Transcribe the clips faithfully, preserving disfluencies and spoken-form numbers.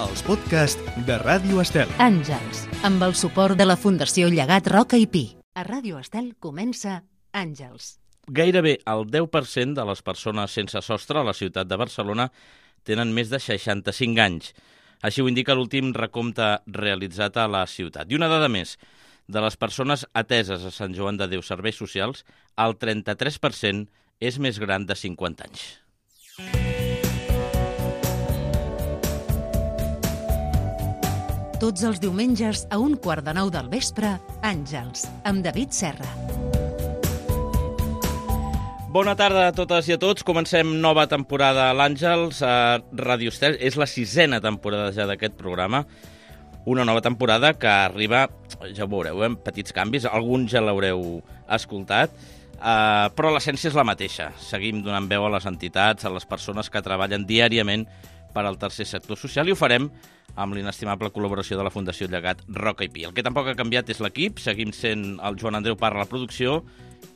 els podcasts de Ràdio Estel. Àngels, amb el suport de la Fundació Llegat Roca i Pi. A Ràdio Estel comença Àngels. Gairebé el deu per cent de les persones sense sostre a la ciutat de Barcelona tenen més de seixanta-cinc anys. Així ho indica l'últim recompte realitzat a la ciutat. I una dada més, de les persones ateses a Sant Joan de Déu Serveis Socials, el trenta-tres per cent és més gran de cinquanta anys. Tots els diumenges a un quart de nou del vespre, Àngels, amb David Serra. Bona tarda a totes i a tots. Comencem nova temporada a l'Àngels a Ràdio Estel. És la sisena temporada ja d'aquest programa. Una nova temporada que arriba, ja ho veureu, amb petits canvis. Alguns ja l'haureu escoltat, eh, però l'essència és la mateixa. Seguim donant veu a les entitats, a les persones que treballen diàriament per al tercer sector social i ho farem amb l'inestimable col·laboració de la Fundació Llegat Roca i Pi. El que tampoc ha canviat és l'equip. Seguim sent el Joan Andreu Parra a la producció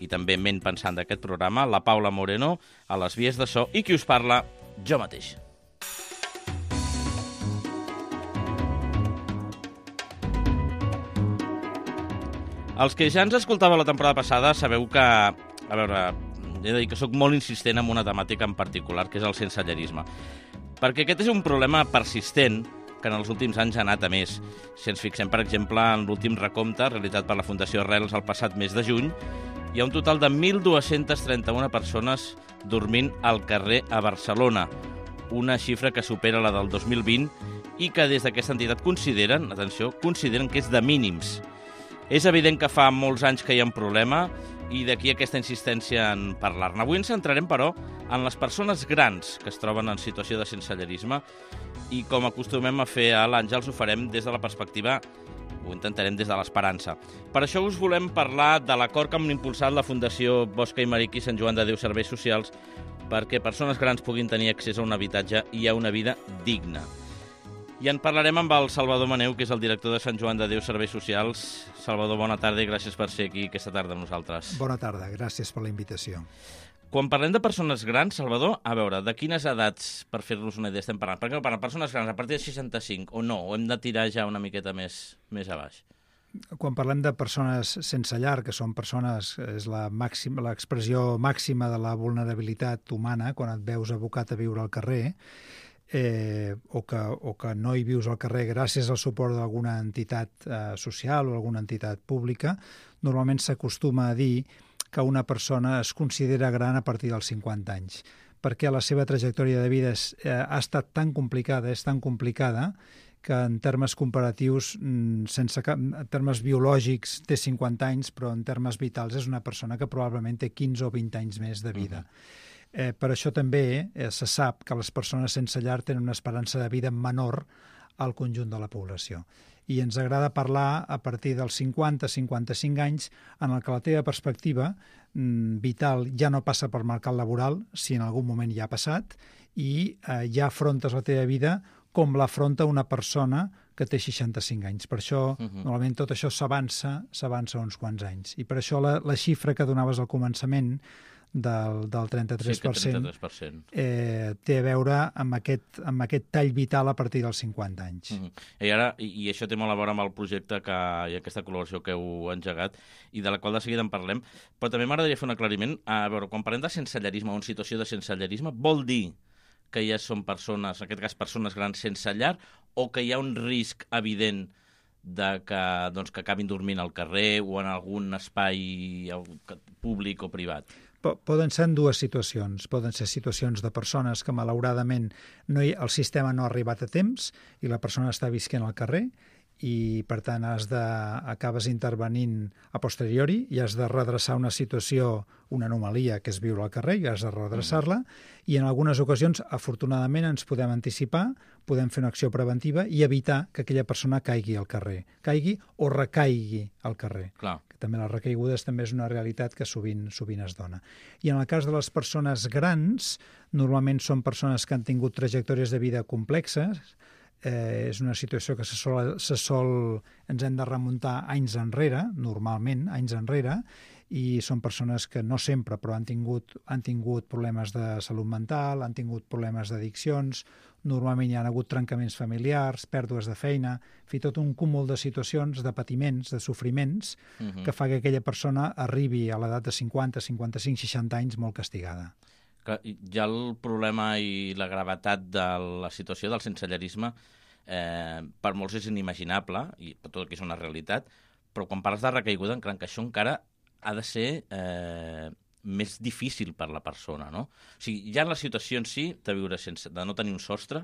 i també ment pensant d'aquest programa, la Paula Moreno a les vies de so i qui us parla, jo mateix. Els que ja ens escoltava la temporada passada sabeu que, a veure, he de dir que sóc molt insistent en una temàtica en particular, que és el sensellarisme. Perquè aquest és un problema persistent que en els últims anys ha anat a més. Si ens fixem, per exemple, en l'últim recompte realitzat per la Fundació Arrels el passat mes de juny, hi ha un total de mil dos-cents trenta-una persones dormint al carrer a Barcelona, una xifra que supera la del dos mil vint i que des d'aquesta entitat consideren, atenció, consideren que és de mínims. És evident que fa molts anys que hi ha un problema i d'aquí aquesta insistència en parlar-ne. Avui ens centrarem, però, en les persones grans que es troben en situació de sensellarisme i com acostumem a fer a l'Àngels ho farem des de la perspectiva, ho intentarem des de l'esperança. Per això us volem parlar de l'acord que han impulsat la Fundació Bosch i Maric i Sant Joan de Déu Serveis Socials perquè persones grans puguin tenir accés a un habitatge i a una vida digna. I en parlarem amb el Salvador Maneu, que és el director de Sant Joan de Déu Serveis Socials. Salvador, bona tarda i gràcies per ser aquí aquesta tarda amb nosaltres. Bona tarda, gràcies per la invitació. Quan parlem de persones grans, Salvador, a veure, de quines edats, per fer-nos una idea, estem parlant? Perquè per persones grans a partir de seixanta-cinc o no, o hem de tirar ja una miqueta més, més a baix? Quan parlem de persones sense llar, que són persones, és la màxima, l'expressió màxima de la vulnerabilitat humana, quan et veus abocat a viure al carrer, eh, o, que, o que no hi vius al carrer gràcies al suport d'alguna entitat eh, social o alguna entitat pública, normalment s'acostuma a dir que una persona es considera gran a partir dels cinquanta anys, perquè la seva trajectòria de vida és, eh, ha estat tan complicada, és tan complicada, que en termes comparatius, sense cap, en termes biològics té cinquanta anys, però en termes vitals és una persona que probablement té quinze o vint anys més de vida. Uh-huh. Eh, per això també eh, se sap que les persones sense llar tenen una esperança de vida menor al conjunt de la població. I ens agrada parlar a partir dels cinquanta a cinquanta-cinc anys en el que la teva perspectiva mm, vital ja no passa per mercat laboral, si en algun moment ja ha passat, i eh, ja afrontes la teva vida com l'afronta una persona que té seixanta-cinc anys. Per això, uh-huh. normalment, tot això s'avança s'avança uns quants anys. I per això la, la xifra que donaves al començament del, del trenta-tres per cent, sí, trenta-tres per cent. Eh, té a veure amb aquest, amb aquest tall vital a partir dels cinquanta anys. Uh-huh. I, ara, i, I això té molt a veure amb el projecte que, i aquesta col·laboració que heu engegat i de la qual de seguida en parlem, però també m'agradaria fer un aclariment. A veure, quan parlem de sensellarisme o en situació de sensellarisme, vol dir que ja són persones, en aquest cas persones grans sense llar, o que hi ha un risc evident de que, doncs, que acabin dormint al carrer o en algun espai públic o privat? Poden ser en dues situacions. Poden ser situacions de persones que, malauradament, no hi, el sistema no ha arribat a temps i la persona està visquent al carrer i, per tant, has de, acabes intervenint a posteriori i has de redreçar una situació, una anomalia, que és viure al carrer, i has de redreçar-la, i en algunes ocasions, afortunadament, ens podem anticipar, podem fer una acció preventiva i evitar que aquella persona caigui al carrer, caigui o recaigui al carrer. Clar. També les recaigudes també és una realitat que sovint, sovint es dona. I en el cas de les persones grans, normalment són persones que han tingut trajectòries de vida complexes, eh, és una situació que se sol, se sol, ens hem de remuntar anys enrere, normalment, anys enrere, i són persones que no sempre, però han tingut, han tingut problemes de salut mental, han tingut problemes d'addiccions, normalment hi ha hagut trencaments familiars, pèrdues de feina, fi tot un cúmul de situacions, de patiments, de sofriments, uh-huh. que fa que aquella persona arribi a l'edat de cinquanta, cinquanta-cinc, seixanta anys molt castigada. Que ja el problema i la gravetat de la situació del sensellarisme eh, per molts és inimaginable, i per tot que és una realitat, però quan parles de recaiguda, encara que això encara ha de ser eh, més difícil per la persona, no? O sigui, ja en la situació en si de viure sense, de no tenir un sostre,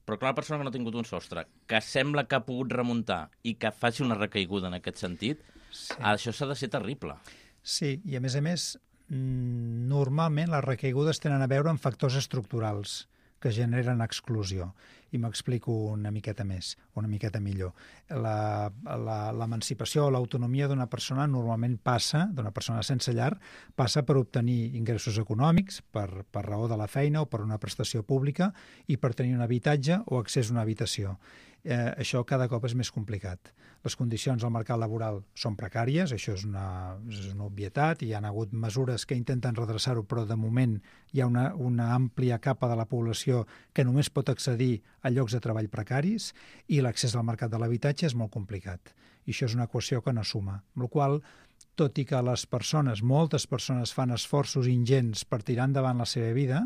però que una persona que no ha tingut un sostre, que sembla que ha pogut remuntar i que faci una recaiguda en aquest sentit, sí. Això s'ha de ser terrible. Sí, i a més a més, normalment les recaigudes tenen a veure amb factors estructurals que generen exclusió. I m'explico una miqueta més, una miqueta millor. La, la, l'emancipació o l'autonomia d'una persona normalment passa, d'una persona sense llar, passa per obtenir ingressos econòmics, per, per raó de la feina o per una prestació pública, i per tenir un habitatge o accés a una habitació. Eh, això cada cop és més complicat. Les condicions al mercat laboral són precàries, això és una, és una obvietat, i hi ha hagut mesures que intenten redreçar-ho, però de moment hi ha una, una àmplia capa de la població que només pot accedir a llocs de treball precaris, i l'accés al mercat de l'habitatge és molt complicat. I això és una equació que no suma. Amb la qual cosa, tot i que les persones, moltes persones fan esforços ingents per tirar endavant la seva vida,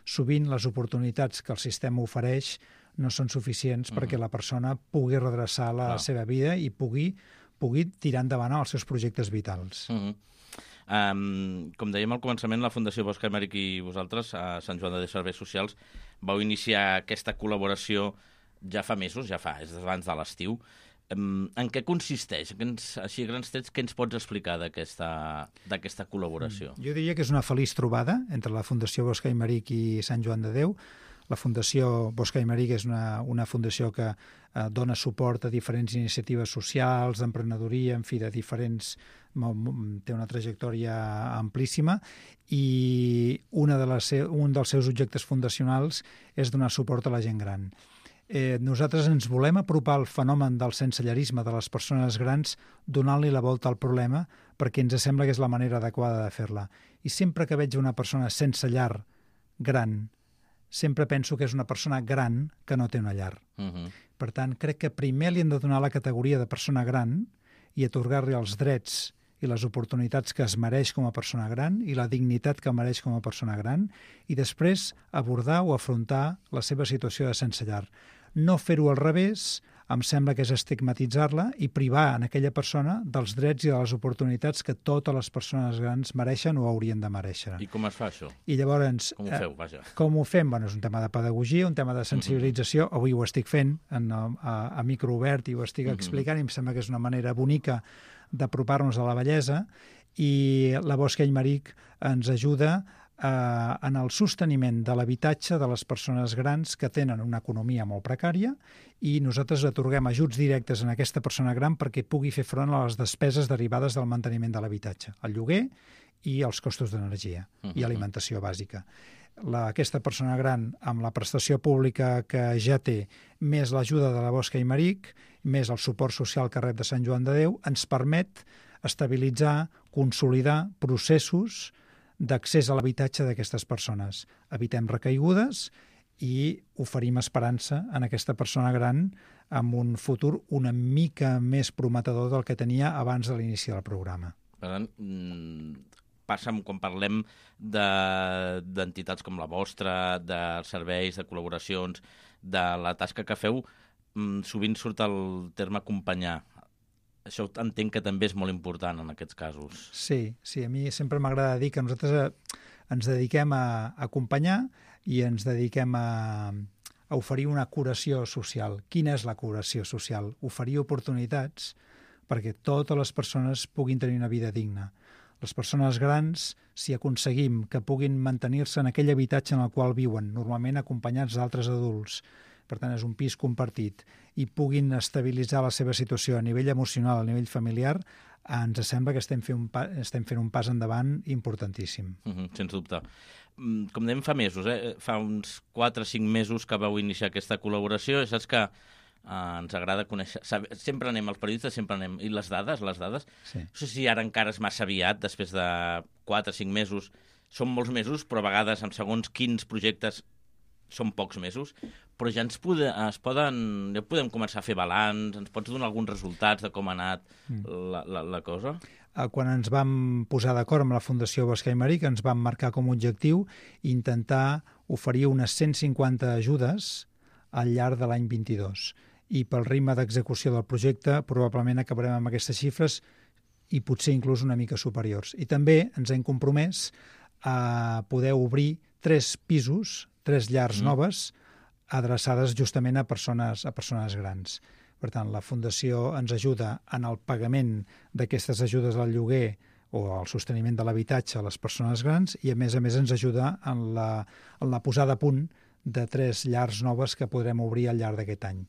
sovint les oportunitats que el sistema ofereix no són suficients mm. perquè la persona pugui redreçar la no. seva vida i pugui, pugui tirar endavant els seus projectes vitals. Mm-hmm. Um, com dèiem al començament, la Fundació Bosch Aymeric i vosaltres, a Sant Joan de Déu Serveis Socials, vau iniciar aquesta col·laboració ja fa mesos, ja fa, és abans de l'estiu. Um, en què consisteix? Ens, així a grans trets, què ens pots explicar d'aquesta col·laboració? Jo diria que és una feliç trobada entre la Fundació Bosch Aymeric i Sant Joan de Déu. La Fundació Bosch Aymeric és una, una fundació que eh, dona suport a diferents iniciatives socials, d'emprenedoria, en fi, de diferents... té una trajectòria amplíssima, i una de les, un dels seus objectes fundacionals és donar suport a la gent gran. Eh, nosaltres ens volem apropar al fenomen del sensellarisme de les persones grans donant-li la volta al problema, perquè ens sembla que és la manera adequada de fer-la. I sempre que veig una persona sense llar gran, sempre penso que és una persona gran que no té una llar. Uh-huh. Per tant, crec que primer li hem de donar la categoria de persona gran i atorgar-li els drets i les oportunitats que es mereix com a persona gran i la dignitat que mereix com a persona gran, i després abordar o afrontar la seva situació de sense llar. No fer-ho al revés em sembla que és estigmatitzar-la i privar en aquella persona dels drets i de les oportunitats que totes les persones grans mereixen o haurien de mereixer. I com es fa això? I llavors, com ho feu, vaja? Eh, com ho fem? Bueno, és un tema de pedagogia, un tema de sensibilització. Uh-huh. Avui ho estic fent en, a, a micro obert i ho estic uh-huh. explicant, i em sembla que és una manera bonica d'apropar-nos a la bellesa, i la Bosch Aymeric ens ajuda eh, en el sosteniment de l'habitatge de les persones grans que tenen una economia molt precària, i nosaltres atorguem ajuts directes a aquesta persona gran perquè pugui fer front a les despeses derivades del manteniment de l'habitatge, el lloguer i els costos d'energia uh-huh. i alimentació bàsica. La, aquesta persona gran, amb la prestació pública que ja té, més l'ajuda de la Bosch Aymeric, més el suport social que rep de Sant Joan de Déu, ens permet estabilitzar, consolidar processos d'accés a l'habitatge d'aquestes persones. Evitem recaigudes i oferim esperança en aquesta persona gran amb un futur una mica més prometedor del que tenia abans de l'inici del programa. Per tant, passa quan parlem d'entitats com la vostra, de serveis, de col·laboracions, de la tasca que feu, sovint surt el terme acompanyar. Això entenc que també és molt important en aquests casos. Sí, sí, a mi sempre m'agrada dir que nosaltres ens dediquem a acompanyar i ens dediquem a, a oferir una curació social. Quina és la curació social? Oferir oportunitats perquè totes les persones puguin tenir una vida digna. Les persones grans, si aconseguim que puguin mantenir-se en aquell habitatge en el qual viuen, normalment acompanyats d'altres adults, per tant és un pis compartit, i puguin estabilitzar la seva situació a nivell emocional, a nivell familiar, ens sembla que estem fent un, pa, estem fent un pas endavant importantíssim. Uh-huh, sens dubte. Com dèiem fa mesos, eh? fa uns quatre o cinc mesos que vau iniciar aquesta col·laboració, i saps que Uh, ens agrada conèixer... Saber, sempre anem, els periodistes sempre anem... I les dades, les dades... Sí. No sé si ara encara és massa aviat, després de quatre o cinc mesos. Són molts mesos, però a vegades, amb segons quins projectes, són pocs mesos. Però ja ens, pode, es poden... Ja podem començar a fer balanç, ens pots donar alguns resultats de com ha anat mm. la, la, la cosa? Quan ens vam posar d'acord amb la Fundació Bosca i Marí, que ens vam marcar com a objectiu intentar oferir unes cent cinquanta ajudes al llarg de l'any vint-i-dos. I pel ritme d'execució del projecte probablement acabarem amb aquestes xifres i potser inclús una mica superiors. I també ens hem compromès a poder obrir tres pisos, tres llars mm. noves, adreçades justament a persones, a persones grans. Per tant, la Fundació ens ajuda en el pagament d'aquestes ajudes al lloguer o al sosteniment de l'habitatge a les persones grans i, a més a més, ens ajuda en la, en la posada a punt de tres llars noves que podrem obrir al llarg d'aquest any.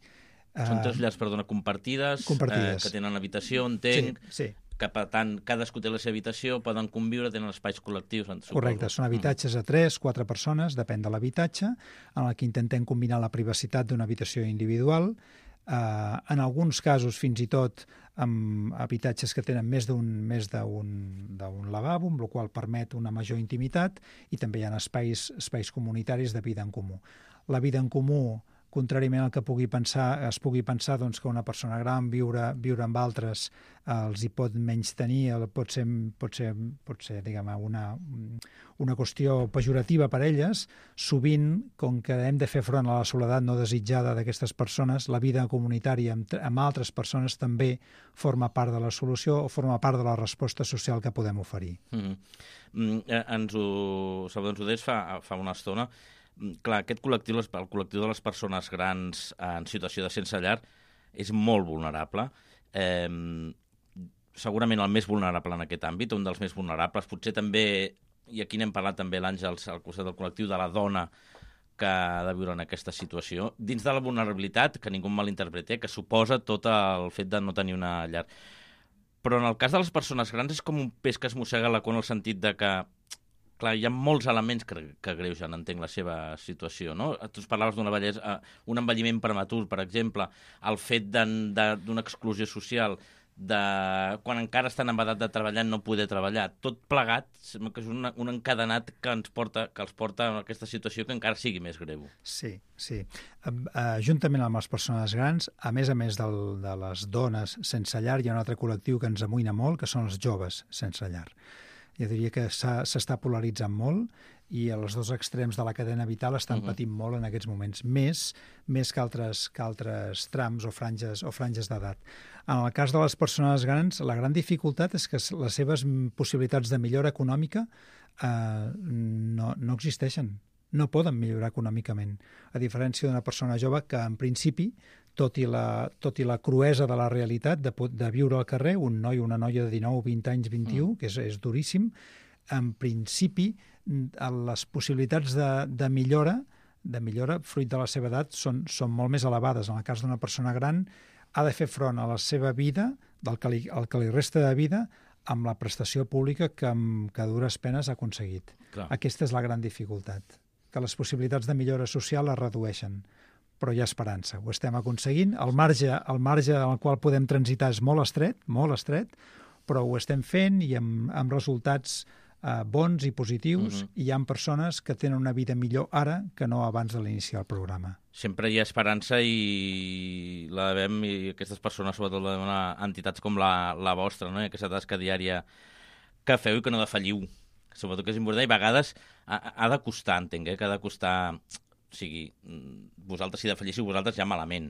Són tres llars, perdona, compartides, compartides. Eh, que tenen habitació, entenc, sí, sí. que per tant cadascú té la seva habitació, poden conviure, tenen espais col·lectius. Suposo. Correcte, són habitatges a tres, quatre persones, depèn de l'habitatge, en el que intentem combinar la privacitat d'una habitació individual, eh, en alguns casos fins i tot amb habitatges que tenen més d'un més d'un d'un lavabo, amb el qual permet una major intimitat, i també hi ha espais, espais comunitaris de vida en comú. La vida en comú, contràriament al que pugui pensar, es pugui pensar doncs, que una persona gran viure, viure amb altres eh, els hi pot menys tenir, pot ser, pot ser, pot ser diguem, una, una qüestió pejorativa per elles. Sovint, com que hem de fer front a la soledat no desitjada d'aquestes persones, la vida comunitària amb, amb altres persones també forma part de la solució o forma part de la resposta social que podem oferir. Mm-hmm. Mm, eh, ens ho, Salvador, ens ho deies fa, fa una estona. Clar, aquest col·lectiu, el col·lectiu de les persones grans en situació de sense llar, és molt vulnerable. Eh, segurament el més vulnerable en aquest àmbit, un dels més vulnerables. Potser també, i aquí n'hem parlat també l'Àngels, al costat del col·lectiu de la dona que ha de viure en aquesta situació, dins de la vulnerabilitat, que ningú malinterpreti, que suposa tot el fet de no tenir una llar. Però en el cas de les persones grans és com un peix que es mossega la cua en el sentit de que clar, hi ha molts elements que, que greugen, entenc, la seva situació, no? Tu parlaves d'una vellesa, un envelliment prematur, per exemple, el fet d'una exclusió social, de quan encara estan en edat de treballar no poder treballar. Tot plegat, que és un, un encadenat que ens porta, que els porta a aquesta situació que encara sigui més greu. Sí, sí. Uh, juntament amb les persones grans, a més a més del, de les dones sense llar, hi ha un altre col·lectiu que ens amoïna molt, que són els joves sense llar. Jo diria que s'està polaritzant molt i els dos extrems de la cadena vital estan uh-huh. patint molt en aquests moments, més, més que, altres, que altres trams o franges o franges d'edat. En el cas de les persones grans, la gran dificultat és que les seves possibilitats de millora econòmica eh, no, no existeixen, no poden millorar econòmicament, a diferència d'una persona jove que, en principi, tot i la, tot i la cruesa de la realitat de, de viure al carrer, un noi o una noia de dinou, vint anys, vint-i-u, mm. que és, és duríssim, en principi les possibilitats de, de millora, de millora fruit de la seva edat són, són molt més elevades. En el cas d'una persona gran, ha de fer front a la seva vida, del que li, el que li resta de vida, amb la prestació pública que, que a dures penes ha aconseguit. Clar. Aquesta és la gran dificultat, que les possibilitats de millora social es redueixen. Però hi ha esperança, ho estem aconseguint. El marge, el marge en el qual podem transitar és molt estret, molt estret, però ho estem fent i amb, amb resultats eh, bons i positius. Uh-huh. I hi ha persones que tenen una vida millor ara que no abans de l'iniciar el programa. Sempre hi ha esperança i la devem, i aquestes persones sobretot la devem a entitats com la, la vostra, no? I aquesta tasca diària que feu i que no defalliu. Sobretot que és important i a vegades ha, ha de costar, entenc, eh? Que ha de costar... O sigui, vosaltres, si defallissiu vosaltres, ja malament.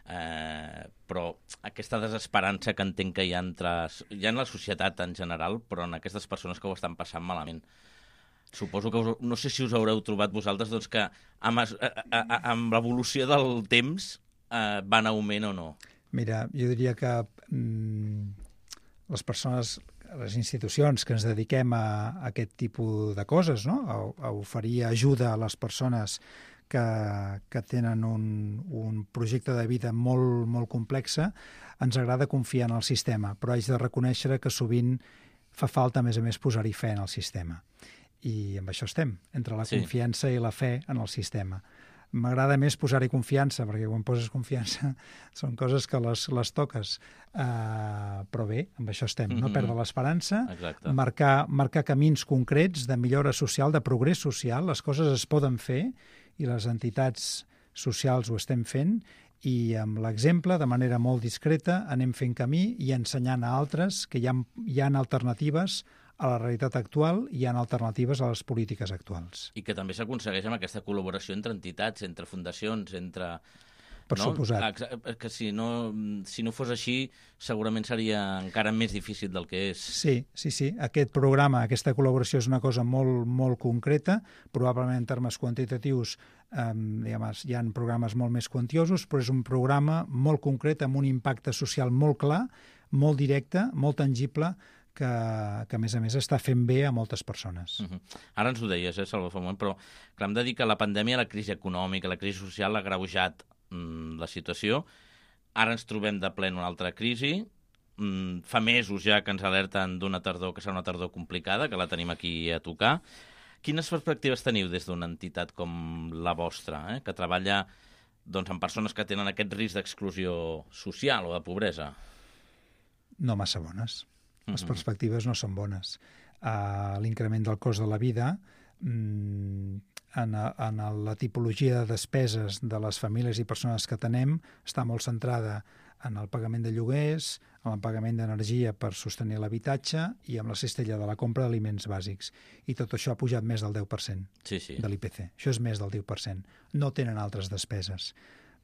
Eh, però aquesta desesperança que entenc que hi ha, entre, hi ha en la societat en general, però en aquestes persones que ho estan passant malament. Suposo que us, no sé si us haureu trobat vosaltres doncs, que amb, amb l'evolució del temps eh, va en augment o no. Mira, jo diria que mm, les persones, les institucions que ens dediquem a, a aquest tipus de coses, no? a, a oferir ajuda a les persones que, que tenen un, un projecte de vida molt, molt complexa, ens agrada confiar en el sistema, però haig de reconèixer que sovint fa falta, a més a més, posar-hi fe en el sistema. I amb això estem, entre la sí. confiança i la fe en el sistema. M'agrada més posar-hi confiança, perquè quan poses confiança són coses que les, les toques. Uh, però bé, amb això estem. No perdre l'esperança, marcar, marcar camins concrets de millora social, de progrés social. Les coses es poden fer i les entitats socials ho estem fent, i amb l'exemple, de manera molt discreta, anem fent camí i ensenyant a altres que hi ha, hi ha alternatives a la realitat actual, hi ha alternatives a les polítiques actuals. I que també s'aconsegueix amb aquesta col·laboració entre entitats, entre fundacions, entre... Per no? suposat. Que si no, si no fos així, segurament seria encara més difícil del que és. Sí, sí, sí. Aquest programa, aquesta col·laboració és una cosa molt, molt concreta. Probablement en termes quantitatius eh, diguem, hi ha programes molt més quantiosos, però és un programa molt concret amb un impacte social molt clar, molt directe, molt tangible, que, que a més a més està fent bé a moltes persones. Uh-huh. Ara ens ho deies, eh, Salvador, fa un moment, però clar, hem de dir que la pandèmia, la crisi econòmica, la crisi social ha agreujat mm, la situació. Ara ens trobem de ple en una altra crisi. Mm, fa mesos ja que ens alerten d'una tardor que serà una tardor complicada, que la tenim aquí a tocar. Quines perspectives teniu des d'una entitat com la vostra, eh, que treballa doncs, amb persones que tenen aquest risc d'exclusió social o de pobresa? No massa bones. Les perspectives no són bones. Uh, l'increment del cost de la vida, mm, en, a, en la tipologia de despeses de les famílies i persones que tenem, està molt centrada en el pagament de lloguers, en el pagament d'energia per sostenir l'habitatge i amb la cistella de la compra d'aliments bàsics. I tot això ha pujat més del deu per cent sí, sí. de l'I P C. Això és més del deu per cent. No tenen altres despeses.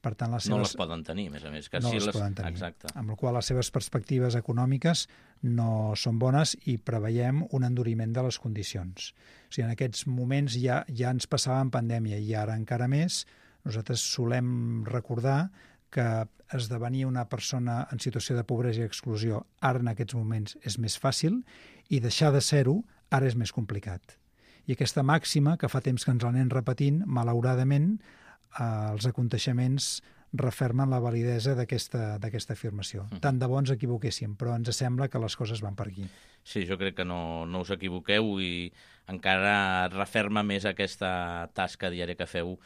Per tant, les seves... No les poden tenir, a més a més. Que no sí les, les poden tenir. Exacte. Amb la qual les seves perspectives econòmiques no són bones i preveiem un enduriment de les condicions. O sigui, en aquests moments ja, ja ens passava en pandèmia i ara encara més. Nosaltres solem recordar que esdevenir una persona en situació de pobresa i exclusió ara en aquests moments és més fàcil i deixar de ser-ho ara és més complicat. I aquesta màxima, que fa temps que ens l'anem repetint, malauradament, els aconteixements refermen la validesa d'aquesta d'aquesta afirmació. Uh-huh. Tant de bo ens equivoquéssim, però ens sembla que les coses van per aquí. Sí, jo crec que no, no us equivoqueu i encara referma més aquesta tasca diària que feu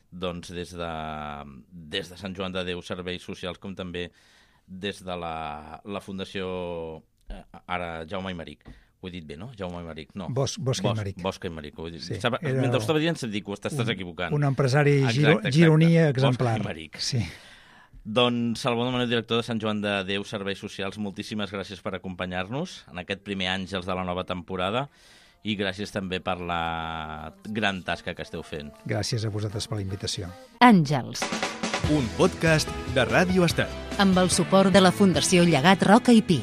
doncs, des, de, des de Sant Joan de Déu Serveis Socials, com també des de la, la Fundació eh, ara Jaume Aymeric. Ho he dit bé, no? Jaume Aymeric, no. Bos, Bosca Bos, Aymeric. Bosca Aymeric, ho he dit. Sí, Mentre ho estava dient, se'm dic, ho estàs equivocant. Un empresari giro, exacte, gironia exemplar. Bosca Aymeric. Sí. Doncs, Salvador Maneu, director de Sant Joan de Déu Serveis Socials, moltíssimes gràcies per acompanyar-nos en aquest primer Àngels de la nova temporada i gràcies també per la gran tasca que esteu fent. Gràcies a vosaltres per la invitació. Àngels. Un podcast de Ràdio Estel. Amb el suport de la Fundació Llegat Roca i Pi.